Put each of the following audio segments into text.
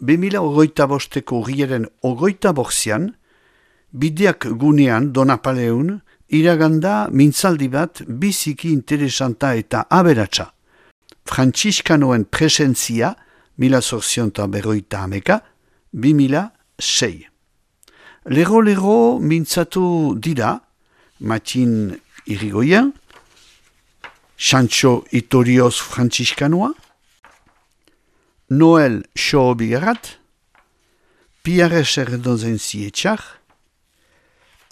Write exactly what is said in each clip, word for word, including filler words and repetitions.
bi mila hogeita bosteko urriaren hogeita bortzian, bideak gunean Donapaleun, iraganda mintzaldi bat biziki interesanta eta aberatsa. Frantziskanoen presentzia, mila zortzionta berroita hameka, bi mila sei. Lero-lero mintzatu dira, Matin Irigoyen, Sancho Itorioz Frantziskanoa, Noel Xoobigarat, Pierre Serdozen Zietxar,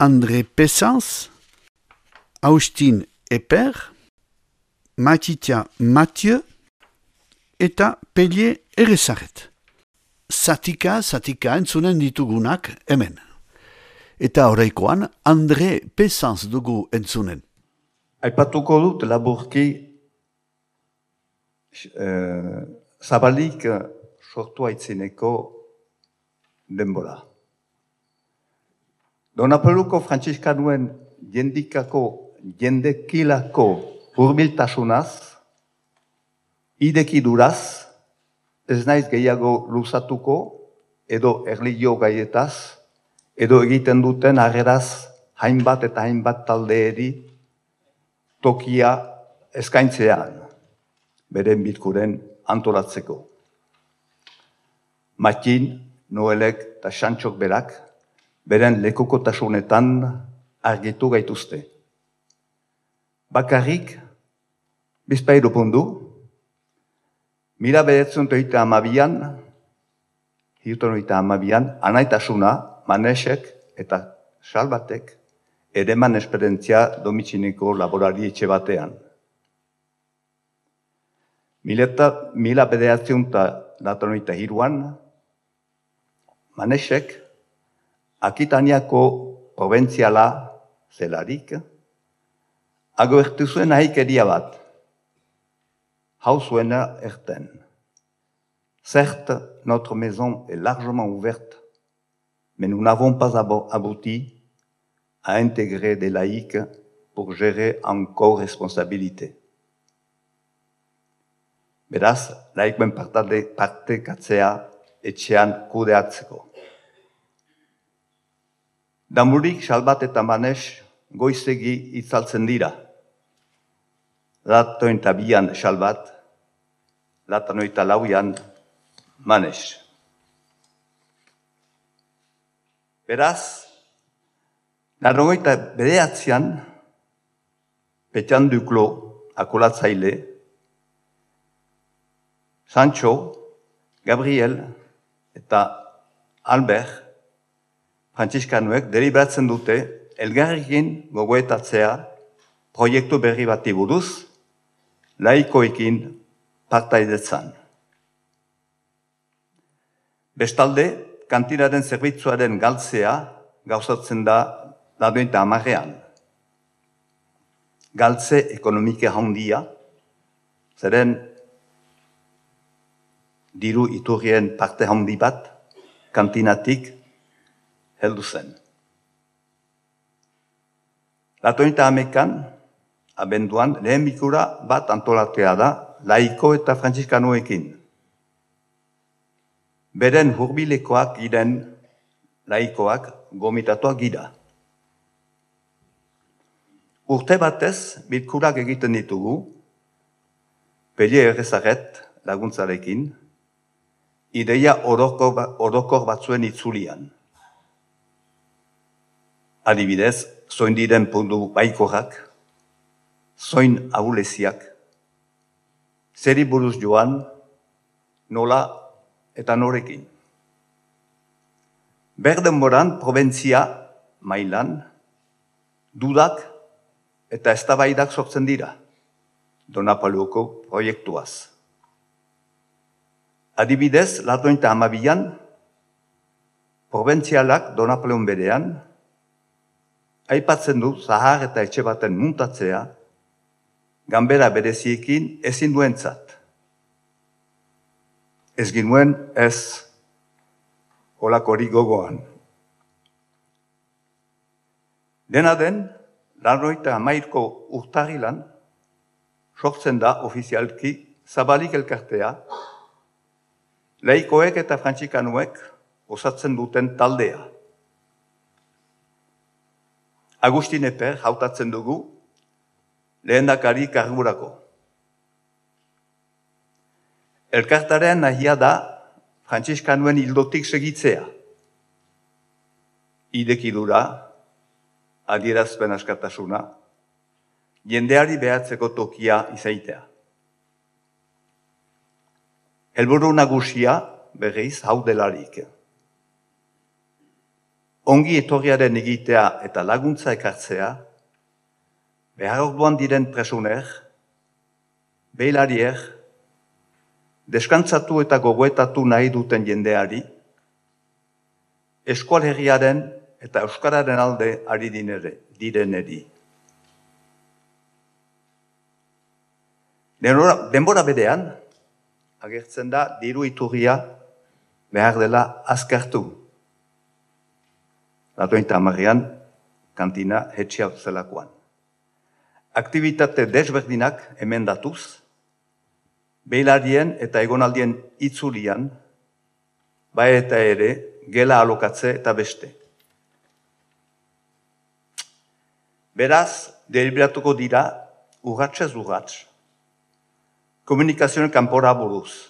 André Pessans, Austin Eper, Matitia Mathieu eta Pellier Erezaret. Zatika, zatika entzunen ditugunak hemen. Eta horreikoan André Pessans dugu entzunen. Aipatuko dut laburki eh, zabalik sortu aitzineko denbora. Donapaluko Frantziskanoen jendikako, jendekilako hurbiltasunaz, idekiduraz, ez naiz gehiago luzatuko, edo erlijio gaietaz, edo egiten duten harreraz hainbat eta hainbat taldeeri tokia eskaintzean, beren bilkuren antolatzeko. Matin, Noelek eta Santxok berak, beren lekukotasunetan argitu gaituzte. Bakarrik, bizpairu pundu, mila beretzen toita amabian, hirton oita amabian, anaitasuna, Manesek eta Salbatek, ereman esperientzia domitxineko laborari etxe batean. Mila bederatzen eta latanoita hiruan, Manesek, Akitaniako proventziala zelarik, agertu zuen ahikeria bat, hau zuena erten. Certes, notre maison est largement ouverte, mais nous n'avons pas abouti à intégrer des laïcs pour gérer en co-responsabilité. Beraz, laikoen partekatzea etxean kudeatzeko. Damurik, Salbat eta Manes goizegi itzaltzen dira. Latoita bian Salbat, latanoita lauian Manes. Beraz, Larrogeita bederatzean, Petian Duclo, akolatzaile, Sancho, Gabriel eta Albert, Frantziskanoek deliberatzen dute elgarrekin gogoetatzea proiektu berri bati buruz, laikoekin partaidetzan. Bestalde, kantinaren zerbitzuaren galtzea gauzatzen da ladoita amarrean. Galtze ekonomike handia, zeren diru iturrien parte handi bat, kantinatik heldu zen. Ladoita amekan, abenduan, lehen bikura bat antolatea da laiko eta frantziskanoekin. Beren hurbilekoak giren laikoak gomitatuak gira. Urte batez, bilkurak egiten ditugu, Pellier Erezaret laguntzarekin, ideia orokor batzuen itzulian. Adibidez, zoin diren puntu baikorrak, zoin ahuleziak, zeri buruz joan, nola eta norekin. Berdenboran, probentzia mailan, dudak eta eztabaidak sortzen dira, Donapaluko proiektuaz. Adibidez, latoita hamabian, proventzialak Donapaleun berean, aipatzen du zahar eta etxe baten muntatzea, ganbera bereziekin ezin duentzat. Ez ginuen ez holakori gogoan. Dena den, larroita hamairko urtarrilan, sortzen da ofizialki Zabalik elkartea, laikoek eta frantziskanuek osatzen duten taldea. Agustin Eper hautatzen dugu lehendakari kargurako. Elkartaren nahia da frantziskanuen hildotik segitzea. Idekidura, adierazpen askatasuna, jendeari behatzeko tokia izaitea. Helburu nagusia berriz hau delarik. Ongi etorriaren egitea eta laguntza ekartzea, behar orduan diren presuner, beilarier, deskantzatu eta gogoetatu nahi duten jendeari, eskual herriaren eta euskararen alde ari dinere, direneri. Denbora berean, agertzen da diru iturria behar dela azkartu. Latointa hamarrean, kantina hetxia zelakoan. Aktivitate desberdinak emendatuz, behilarien eta egonaldien itzulian, bai eta ere, gela alokatze eta beste. Beraz, deliberatuko dira, urratxez urratx, komunikazioen kanpora buruz,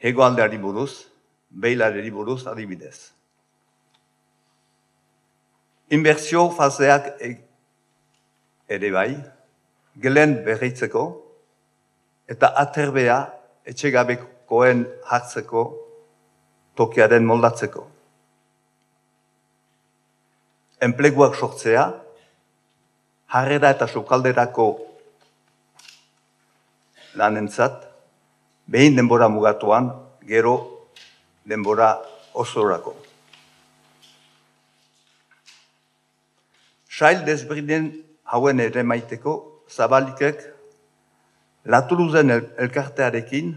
hegoaldeari buruz, behilareri buruz adibidez. Inbertsio faseak ere bai, gelen berritzeko eta aterbea etxegabekoen hartzeko tokiaren moldatzeko. Enpleguak sortzea, harrera eta sokalderako lanentzat, behin denbora mugatuan, gero denbora osorako. Sail desberdinen hauen ere maiteko, Zabalikek Latuluzen elkartearekin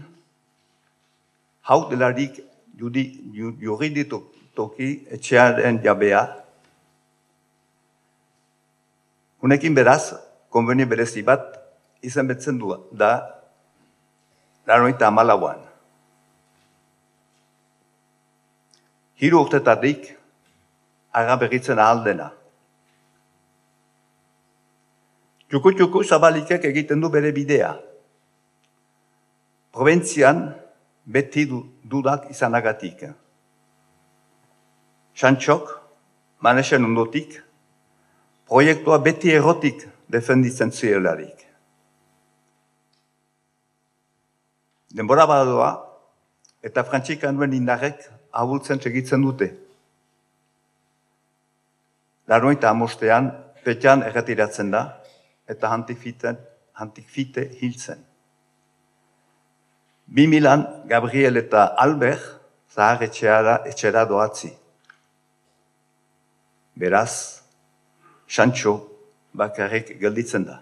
hau delarik juriditoki etxearen jabea. Hunekin beraz, konbeni berezi bat izan betzen du da laroita hamalauan. Hiru urtetatik agaberritzen ahal dena. Txuku-txuku Zabalikek egiten du bere bidea. Proventzian beti dudak izanagatik. Santxok, manesen ondotik, proiektua beti errotik defenditzen zielarik. Denbora badoa eta frantzikanuen indarrek ahultzen segitzen dute. Laroita hamostean, Petian erretiratzen da, eta hantikfite hiltzen. Bi milan, Gabriel eta Albert zahar etxera doatzi. Beraz, Santxo bakarrik gelditzen da.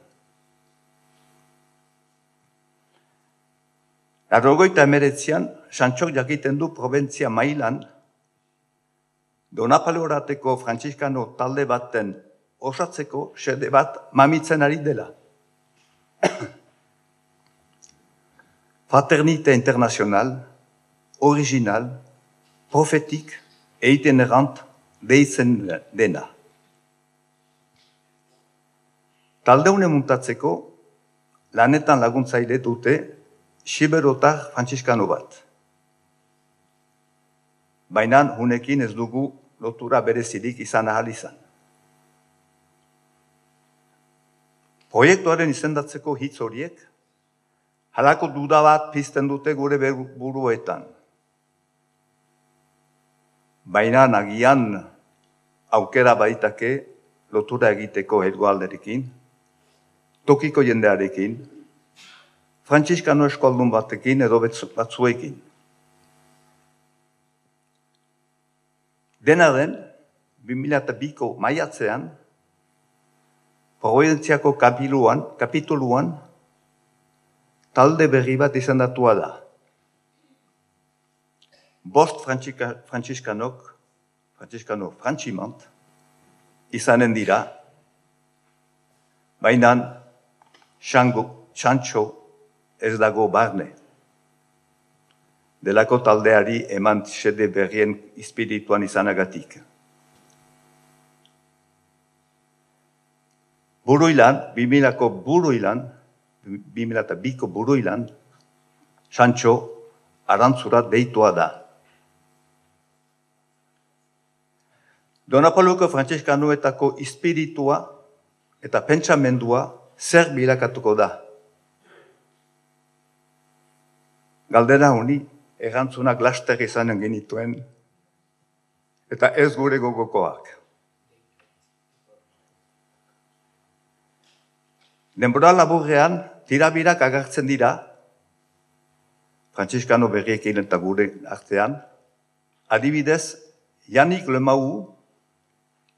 Larrogoita emeretzian, Santxok jakiten du probentzia mailan, Donapaleorateko frantziskano talde baten osatzeko xede bat mamitzen ari dela. Fraternite internazional, original, profetik, eiten errant, deitzen dena. Taldeune muntatzeko, lanetan laguntzaile dute, siberotar frantziskano bat. Baina hunekin ez dugu lotura berezirik izan ahal izan. Proiektuaren izendatzeko hitz horiek, halako duda bat pizten dute gure buruetan. Baina nagian aukera baitake lotura egiteko hegoalderekin, tokiko jendearekin, frantziskano eskoaldun batekin edo batzuekin. Dena den, bi mila biko maiatzean, Proventziako kapituluan, talde berri bat izendatua da. Bost frantziskanok, frantziskano frantximant, izanen dira, baina Santxo ez dago barne. delako taldeari eman xede berrien espirituan izanagatik. Buruilan, bimilako buruilan, bimila eta biko buruilan, Sancho Arantzura deitua da. Donapoluko frantziskanuetako espiritua eta pentsamendua zer bilakatuko da. Galdera honi, erantzunak laster izanen genituen, eta ez gure gogokoak. Denbora laburrean, tirabirak agertzen dira, frantziskano berriekin eta gure artean, adibidez, Yannick Lemau,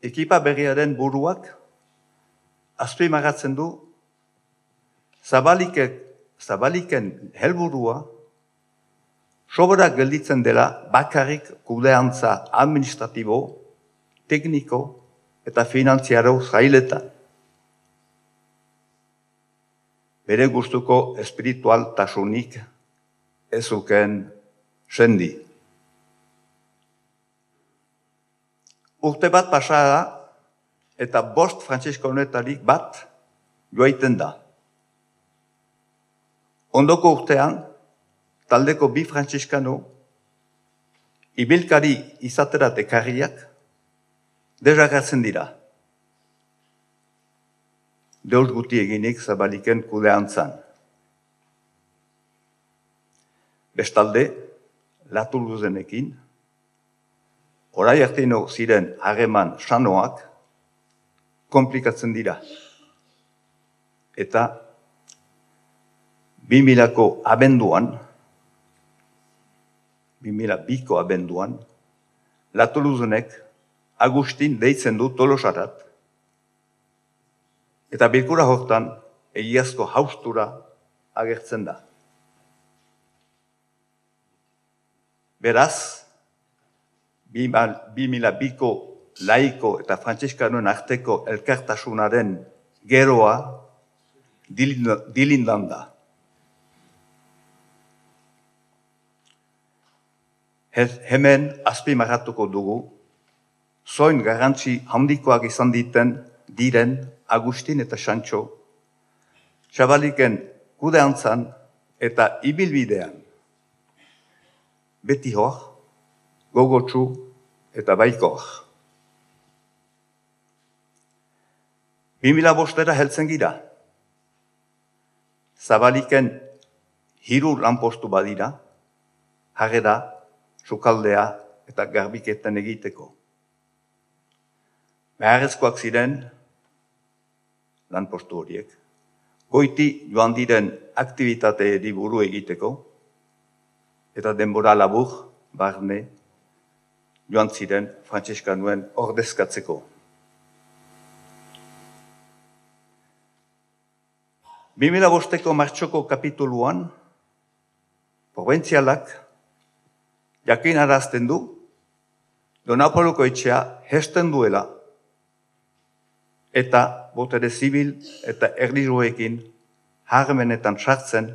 ekipa berriaren buruak, azpimarratzen du, Zabalikek, Zabaliken helburua, soberak gelditzen dela bakarrik kudeantza administratibo, tekniko eta finantziaro zailetan. Bere gustuko espiritual tasunik ezuken sendi. Urte bat pasada eta bost frantziskanuetarik bat joaiten da. Ondoko urtean, taldeko bi frantziskano, ibilkari izaterat ekarriak, desagertzen dira. Deus guti eginik Zabaliken kudeantzan. Bestalde, Latuluzenekin, orai arteino ziren hageman sanoak, komplikatzen dira. Eta, bimilako abenduan, bimila biko abenduan, Latuluzenek Agustin deitzen du Tolosarat, eta bilkura hortan egiazko haustura agertzen da. Beraz, bimila biko laiko eta frantziskanoen arteko elkartasunaren geroa dilindan da. Hemen azpimarratuko dugu, zoin garrantzi handikoak izan diten diren Agustin eta Sancho, Zabaliken kudeantzan eta ibilbidean, beti hor, gogotsu eta baikor. Bimila bostera heltzen gira. Zabaliken hiru lanpostu badira, harrera, sukaldea eta garbiketan egiteko. Beharrezkoak ziren, lanpostu horiek, goiti joan diren aktivitate buru egiteko, eta denbora labur, barne, joan ziren frantziskanoen ordezkatzeko. bimila bosteko martxoko kapituluan, proventzialak jakinarazten du, Donapoluko etxea hesten duela, eta botere zibil eta erlijoekin harremenetan sartzen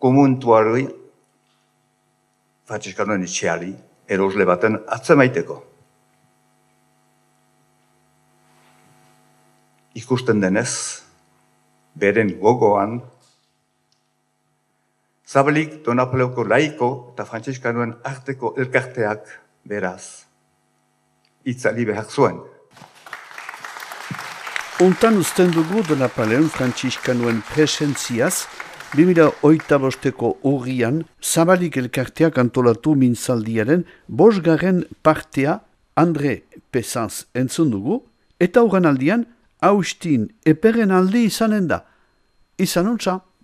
komuntuari, frantziskanoen etxeari, erosle baten atzemaiteko. Ikusten denez, beren gogoan, Zabalik Donapoleuko laiko eta frantziskanoen arteko elkarteak beraz, itzali behar zuen. Ontan usten dugu Donapaleon frantziskanoen presentziaz, bimila hogeita bosteko urrian, Zabalik elkarteak antolatu mintzaldiaren bosgarren partea Andre Pessanz entzun dugu, eta urran aldian, Agustin Eperen aldi izanen da. Izan ontsa.